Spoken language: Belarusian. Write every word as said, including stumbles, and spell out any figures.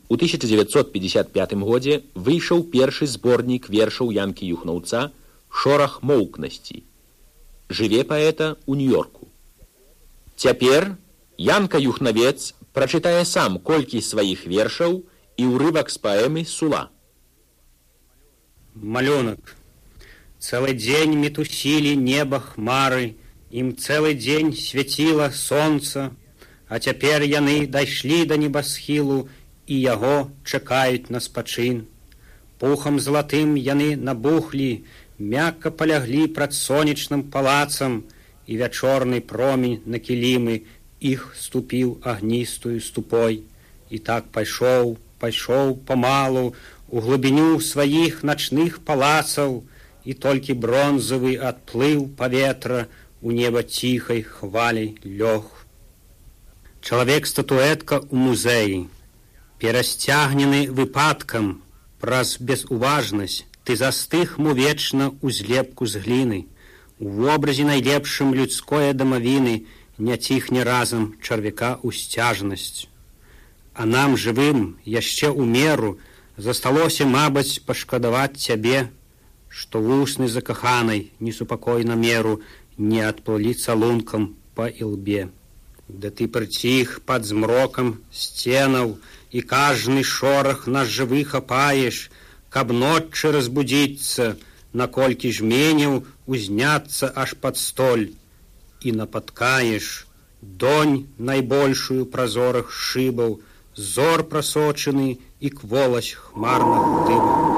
У тысяча девятьсот пятьдесят пятым годзе выйшаў першы зборнік вершаў Янкі Юхнаўца «Шорах моўкнасці». Жыве паэта ў Нью-Йорку. Цяпер Янка Юхнавец прачытае сам колькі сваіх вершаў і ўрывак з паэмы «Сула». Малюнак. Цэлы дзень мітусілі неба хмары, ім цэлы дзень свяціла сонца, а цяпер яны дайшлі да небасхілу і яго чакаюць на спачын. Пухам залатым яны набухлі, мякка паляглі прад сонечным палацам, і вячорны промень на кілімы іх ступіў агністую ступой. І так пайшоў, пайшоў памалу у глыбіню сваіх начных палацаў, і толькі бронзавы адплыў паветра у неба ціхай хваляй лёг. Чалавек-статуэтка ў музеі. Перасцягнены выпадкам, праз безуважнасць, ты застых му вечна ў злепку з гліны. У вобразе найлепшым людское дамавіны не ціхне разам чарвяка усцяжнасць. А нам, жывым, яшчэ ў меру засталося, мабыць, пашкадаваць цябе, што вусны закаханай несупакойна меру не адплылі цалункам па ілбе. Да ты прыціх пад змрокам сценаў, і кажны шорах нас жывы хапаеш, каб ноччы разбудзіцца, наколькі жменяў узняцца аж пад столь, і напаткаеш донь найбольшую празорах шыбаў, зор прасочаны і кволасць хмарных дымаў.